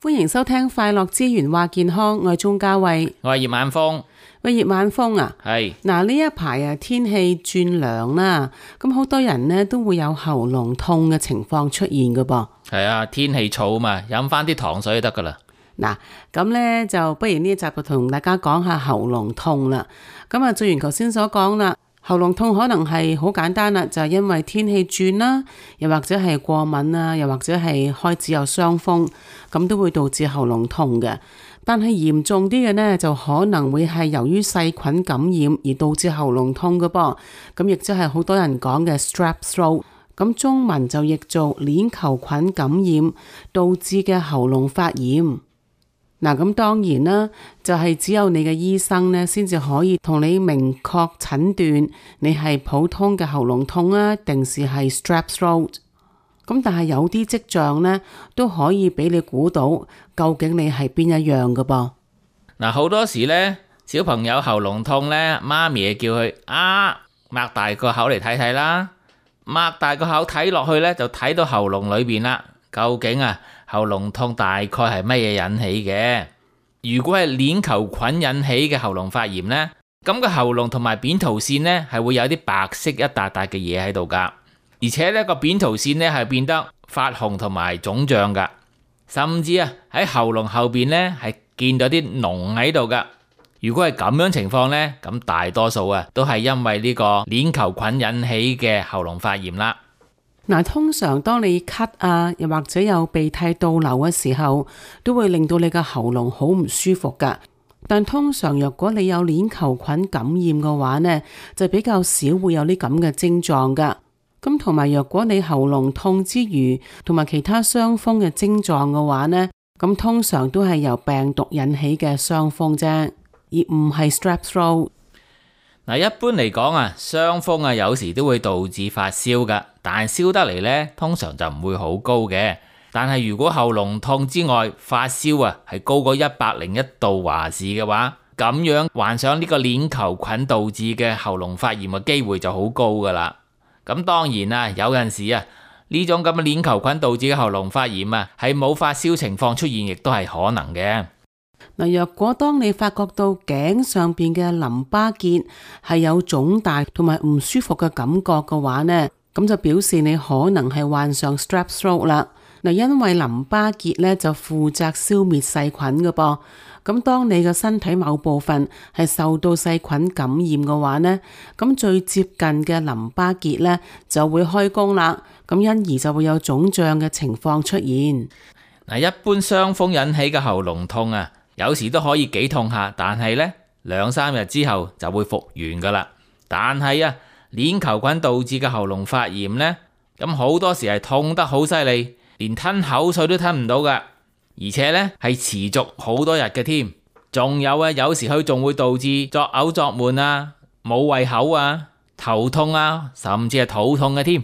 歡迎收聽快樂之源話健康，我係鍾嘉慧，我係葉晚風。喂，葉晚風啊，係嗱呢一排啊天氣轉涼啦，咁好多人呢都會有喉嚨痛嘅情況出現噶噃。係啊，天氣燥嘛，飲翻啲糖水就得噶啦。嗱，咁呢就不如呢一集就同大家講下喉嚨痛啦。咁啊，正如頭先所講啦，喉嚨痛可能係好簡單啦，就係因為天氣轉啦，又或者係過敏啊，又或者係開始有傷風，咁都會導致喉嚨痛嘅。但係嚴重啲嘅呢，就可能會係由於細菌感染而導致喉嚨痛嘅噃。咁亦即係好多人講嘅 strep throat， 咁中文就譯做鏈球菌感染導致嘅喉嚨發炎。嗱，咁當然啦，就係只有你嘅醫生呢，先至可以同你明確診斷你係普通嘅喉嚨痛啊，定是係 strep throat。咁但係有啲跡象呢，都可以俾你估到究竟你係邊一樣嘅噃。嗱，好多時呢，小朋友喉嚨痛呢，媽咪叫佢擘大個口嚟睇睇啦，擘大個口睇落去呢，就睇到喉嚨裏邊啦。究竟喉嚨痛大概係乜嘢引起嘅？如果係鏈球菌引起嘅喉嚨發炎呢，咁個喉嚨同埋扁桃腺呢，係會有啲白色一笪笪嘅嘢喺度噶。而且呢個扁桃腺呢係變得發紅同埋腫脹噶，甚至喺喉嚨後邊呢係見到啲膿喺度噶。如果係咁樣情況呢，咁大多數都係因為呢個鏈球菌引起嘅喉嚨發炎啦。嗱，通常當你咳啊，又或者有鼻涕倒流嘅時候，都會令到你嘅喉嚨好唔舒服噶。但通常若果你有鏈球菌感染嘅話呢，就比較少會有啲咁嘅症狀噶。咁同埋若果你喉嚨痛之餘，同埋其他傷風嘅症狀嘅話呢，咁通常都係由病毒引起嘅傷風啫，而唔係 strep throat。嗱，一般嚟講傷風有時都會導致發燒噶，但係燒得嚟呢，通常就唔會好高嘅。但係如果喉嚨痛之外，發燒係高過101度華氏嘅話，咁樣患上呢個鏈球菌導致嘅喉嚨發炎嘅機會就好高噶啦。咁當然有陣時呢種咁嘅鏈球菌導致嘅喉嚨發炎係冇發燒情況出現，亦都係可能嘅。嗱，若果當你發覺到頸上邊嘅淋巴結係有腫大同埋唔舒服嘅感覺嘅話呢，咁就表示你可能係患上 strep throat 啦。嗱，因為淋巴結呢就負責消滅細菌嘅噃。咁當你嘅身體某部分係受到細菌感染嘅話呢，咁最接近嘅淋巴結呢就會開工啦，咁因而就會有腫脹嘅情況出現。嗱，一般傷風引起嘅喉嚨痛有時都可以幾痛下，但係呢2-3日之後就會復原噶啦。但係鏈球菌導致嘅喉嚨發炎呢，咁好多時係痛得好犀利，連吞口水都吞唔到噶。而且呢係持續好多日嘅添，仲有時佢仲會導致作嘔作悶冇胃口頭痛甚至係肚痛嘅添。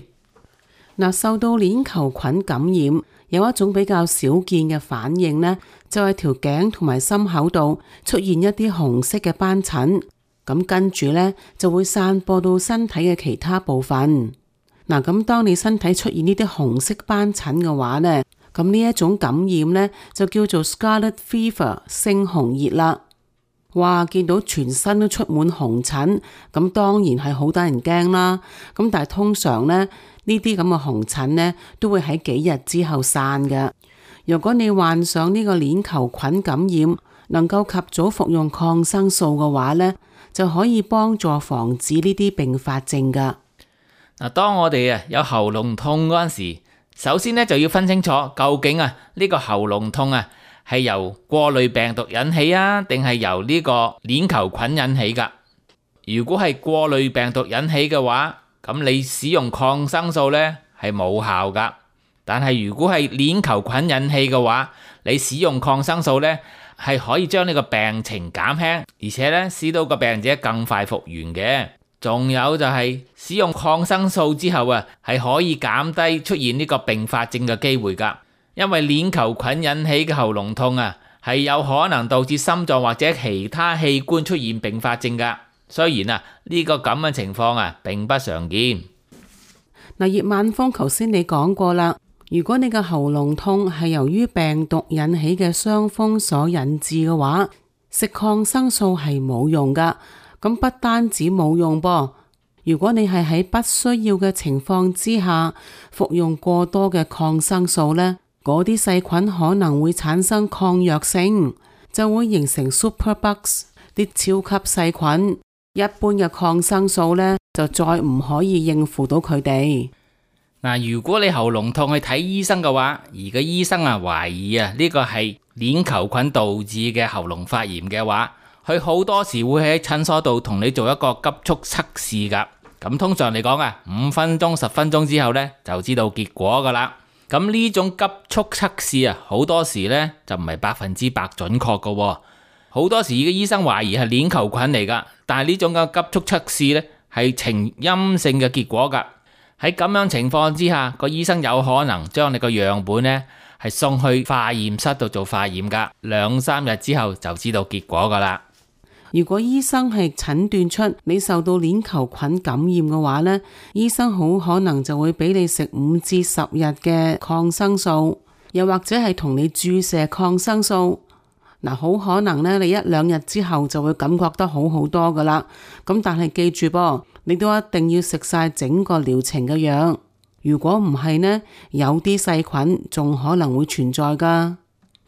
嗱，受到鏈球菌感染，有一種比較少見嘅反應呢，就係條頸同埋心口度出現一啲紅色嘅斑疹，咁跟住呢，就會散播到身體嘅其他部分。嗱，咁當你身體出現呢啲紅色斑疹嘅話呢，咁呢一種感染呢，就叫做 Scarlet Fever 猩紅熱啦。哇，見到全身都出滿紅疹，咁當然係好得人驚啦。咁但係通常呢，呢啲咁嘅紅疹呢，都會喺幾日之後散嘅。如果你患上呢個鏈球菌感染，能夠及早服用抗生素嘅話呢，就可以幫助防止呢啲併發症噶。嗱，當我哋有喉嚨痛嗰陣時，首先呢就要分清楚究竟呢個喉嚨痛係由過濾病毒引起定係由呢個鏈球菌引起噶。如果係過濾病毒引起嘅話，咁你使用抗生素呢係冇效噶。但係如果係鏈球菌引起嘅話，你使用抗生素呢係可以將呢個病情減輕，而且呢使到個病者更快復原嘅。仲有就係使用抗生素之後係可以減低出現呢個併發症嘅機會噶。因為鏈球菌引起嘅喉嚨痛係有可能導致心臟或者其他器官出現併發症噶。雖然呢個咁嘅情況並不常見。嗱，葉晚風頭先你講過啦，如果你嘅喉嚨痛係由於病毒引起嘅傷風所引致嘅話，食抗生素係冇用噶。咁不單止冇用噃，如果你係喺不需要嘅情況之下服用過多嘅抗生素呢，嗰啲細菌可能會產生抗藥性，就會形成 superbugs 啲超級細菌。一般嘅抗生素呢，就再唔可以應付到佢哋。嗱，如果你喉嚨痛去睇醫生嘅話，而個醫生懷疑呢個係鏈球菌導致嘅喉嚨發炎嘅話，佢好多時會喺診所度同你做一個急速測試噶。咁通常嚟講5分鐘、10分鐘之後呢，就知道結果噶啦。咁呢種急速測試好多時呢，就唔係100%準確噶。好多時嘅醫生懷疑係鏈球菌嚟噶，但係呢種嘅急速測試呢，係呈陰性嘅結果噶。喺咁樣情況之下，個醫生有可能將你個樣本呢係送去化驗室度做化驗噶，2-3日之後就知道結果噶啦。如果醫生係診斷出你受到鏈球菌感染嘅話呢，醫生好可能就會俾你食5至10日嘅抗生素，又或者係同你注射抗生素。好可能呢，你1-2日之後就會感覺得好好多噶啦。咁但係記住噃，你都一定要食晒整個療程嘅藥。如果唔係呢，有啲細菌仲可能會存在噶。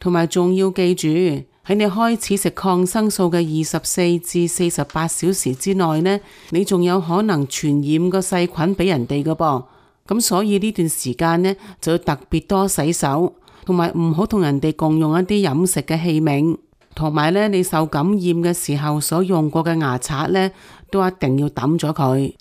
同埋仲要記住，喺你開始食抗生素嘅24至48小時之內呢，你仲有可能傳染個細菌俾人哋噶噃。咁所以呢段時間呢，就要特別多洗手，同埋唔好同人哋共用一啲飲食嘅器皿，同埋呢，你受感染嘅時候所用過嘅牙刷呢，都一定要抌咗佢。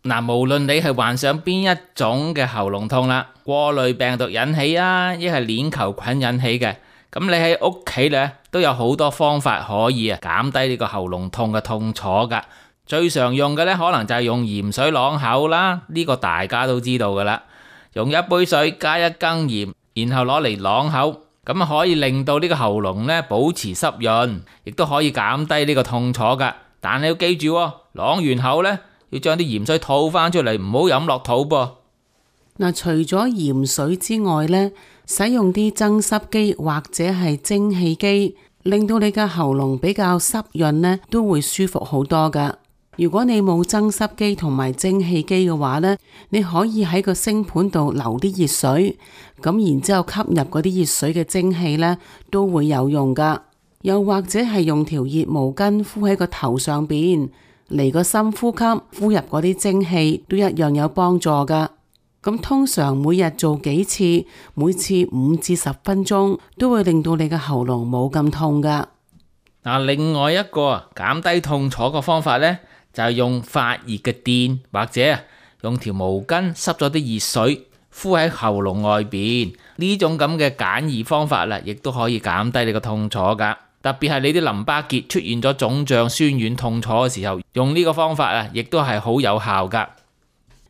無論你係患上邊一種嘅喉嚨痛啦，過濾病毒引起亦係鏈球菌引起嘅，咁你喺屋企呢，都有好多方法可以減低呢個喉嚨痛嘅痛楚噶。最常用嘅呢，可能就係用鹽水啷口啦，呢個大家都知道噶啦。用1杯水加1羹鹽，然後攞嚟啷口，咁可以令到呢個喉嚨呢保持濕潤，亦都可以減低呢個痛楚噶。但你要記住，啷完口呢，要將啲鹽水吐翻出嚟，唔好飲落肚噃。除咗鹽水之外呢，使用啲增濕機或者係蒸汽機，令到你嘅喉嚨比較濕潤呢，都會舒服好多噶。如果你冇增濕機同埋蒸汽機嘅話呢，你可以喺個星盤度留啲熱水，咁然之後吸入嗰啲熱水嘅蒸汽呢，都會有用噶。又或者係用條熱毛巾敷喺個頭上邊，嚟個深呼吸，呼入嗰啲蒸汽都一樣有幫助噶。咁通常每日做幾次，每次5至10分鐘，都會令到你嘅喉嚨冇咁痛噶。另外一個減低痛楚嘅方法呢，就係用發熱嘅電，或者用條毛巾濕咗啲熱水敷喺喉嚨外邊。呢種咁嘅簡易方法亦都可以減低你個痛楚噶。特別係你啲淋巴結出現咗腫脹、酸軟、痛楚嘅時候，用呢個方法亦都係好有效噶。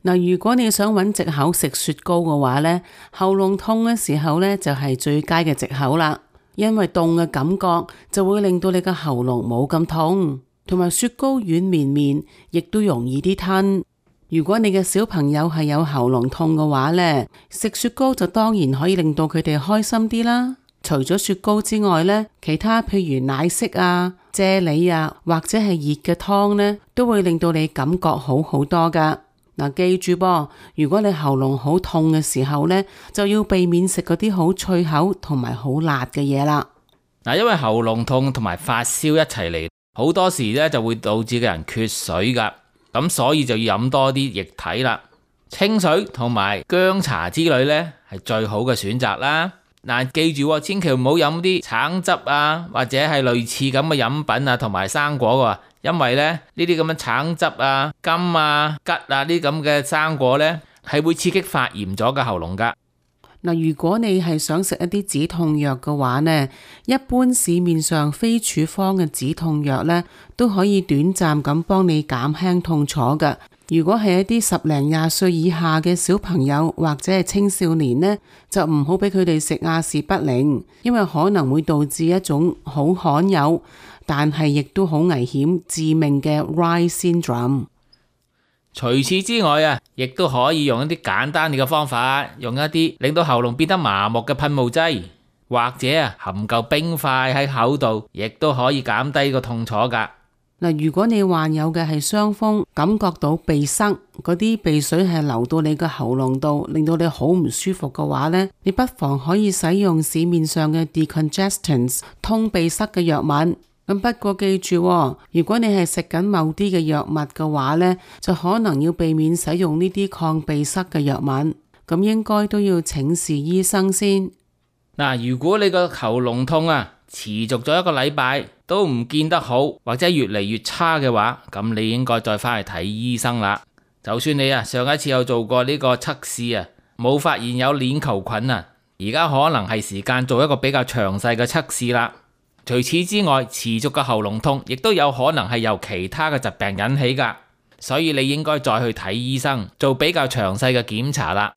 如果你想揾藉口食雪糕嘅話呢，喉嚨痛嘅時候呢，就係最佳嘅藉口啦。因為凍嘅感覺就會令到你嘅喉嚨冇咁痛，同埋雪糕軟綿綿，亦都容易啲吞。如果你嘅小朋友係有喉嚨痛嘅話呢，食雪糕就當然可以令到佢哋開心啲啦。除咗雪糕之外呢，其他譬如奶昔啫喱或者係熱嘅湯呢，都會令到你感覺好好多噶。記住噃，如果你喉嚨好痛嘅時候呢，就要避免食嗰啲好脆口同埋好辣嘅嘢啦。因為喉嚨痛同埋發燒一齊嚟，好多時呢就會導致個人缺水噶，咁所以就要飲多啲液體啦。清水同埋薑茶之類呢係最好嘅選擇啦。記住千祈唔好飲啲橙汁或者係類似咁嘅飲品同埋生果，因為呢啲咁嘅橙汁柑桔呢啲咁嘅生果呢係會刺激發炎咗嘅喉嚨噶。如果你係想食一啲止痛藥嘅話呢，一般市面上非處方嘅止痛藥呢都可以短暫咁幫你減輕痛楚㗎。如果係一啲10零20歲以下嘅小朋友或者係青少年呢，就唔好俾佢哋食阿士匹靈，因為可能會導致一種好罕有但係亦都好危險致命嘅 Reye syndrome。除此之外啊，亦都可以用一啲簡單嘅方法，用一啲令到喉嚨變得麻木嘅噴霧劑，或者啊含嚿冰塊喺口度，亦都可以減低個痛楚噶。嗱，如果你患有嘅係傷風，感覺到鼻塞，嗰啲鼻水係流到你嘅喉嚨度，令到你好唔舒服嘅話呢，你不妨可以使用市面上嘅 decongestants 通鼻塞嘅藥物。咁不過記住，如果你係食緊某啲嘅藥物嘅話呢，就可能要避免使用呢啲抗鼻塞嘅藥物。咁應該都要請示醫生先。嗱，如果你個喉嚨痛啊持續咗1個禮拜都唔見得好，或者越嚟越差嘅話，咁你應該再返去睇醫生啦。就算你啊上一次有做過呢個測試啊，冇發現有鏈球菌啊，而家可能係時間做一個比較詳細嘅測試啦。除此之外，持續嘅喉嚨痛亦都有可能係由其他嘅疾病引起噶，所以你應該再去睇醫生，做比較詳細嘅檢查啦。